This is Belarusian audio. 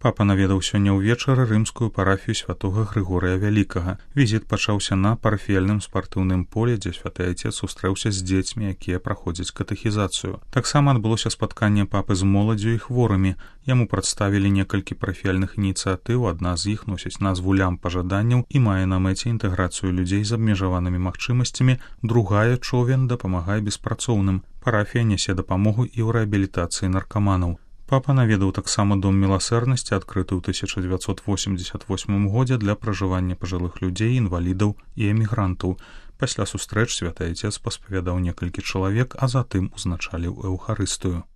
Папа наведаў сёння ўвечары рымскую парафію святога Грыгорыя Вялікага. Візіт пачаўся на парафіяльным спартыўным полі, дзе святы айцец сустрэўся з дзецьмі, якія праходзяць катэхізацыю. Таксама адбылося спатканне папы з моладдзю і хворымі. Яму прадставілі некалькі парафіяльных ініцыятыў, адна з іх носіць назву «Лямпа жаданняў» і мае на мэце інтэграцыю людзей з абмежаванымі магчымасцямі, другая «Човен дапамагае беспрацоўным». Парафія нясе дапамогу і ў рэабілітацыі наркаманаў. Папа наведаў таксама дом міласэрнасці, адкрыты ў 1988 годзе для пражывання пажылых людзей, інвалідаў і эмігрантаў. Пасля сустрэч святы айцец паспавядаў некалькі чалавек, а затым узначаліў эўхарыстыю.